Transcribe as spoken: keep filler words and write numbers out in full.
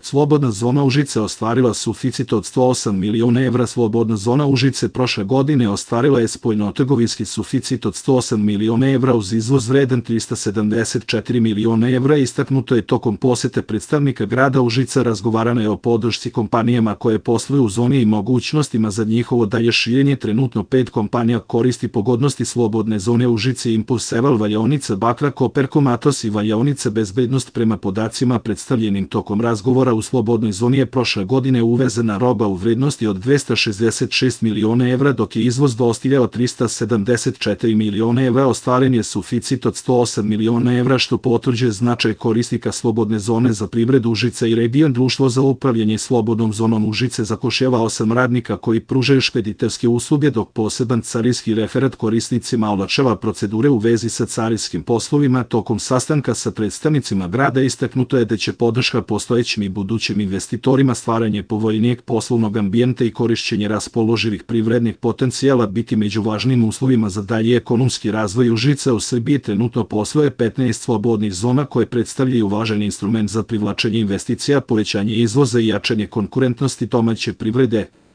Slobodna zona Užice ostvarila suficit od sto osam miliona evra. Slobodna zona Užice prošle godine ostvarila je spoljnotrgovinski suficit od sto osam miliona evra uz izvoz vredan trista sedamdeset četiri miliona evra. Istaknuto je tokom posete predstavnika grada Užica. Razgovarano je o podršci kompanijama koje posluju u zoni i mogućnostima za njihovo dalje širenje. Trenutno pet kompanija koristi pogodnosti slobodne zone Užice: Impuls, Eval, valjaonica Bakra, Koperkom, Atos i valjaonica Bezbednost. Prema podacima predstavljenim tokom razgovora, u slobodnoj zoni je prošle godine uvezena roba u vrednosti od dvesta šezdeset šest miliona evra, dok je izvoz dostigao trista sedamdeset četiri miliona evra. Ostvaren je suficit od sto osam miliona evra, što potvrđuje značaj korisnika slobodne zone za privredu Užice i region. Društvo za upravljanje slobodnom zonom Užice zapošljava osam radnika koji pružaju špediterske usluge, dok poseban carinski referat korisnicima olakšava procedure u vezi sa carinskim poslovima. Tokom sastanka sa predstavnicima grada istaknuto je da će podrška postojećim i budućim investitorima, stvaranje povoljnijeg poslovnog ambijenta i korišćenje raspoloživih privrednih potencijala biti među važnim uslovima za dalji ekonomski razvoj Užica. U Srbiji trenutno posluje petnaest slobodnih zona koje predstavljaju važan instrument za privlačenje investicija, povećanje izvoza i jačanje konkurentnosti domaće privrede.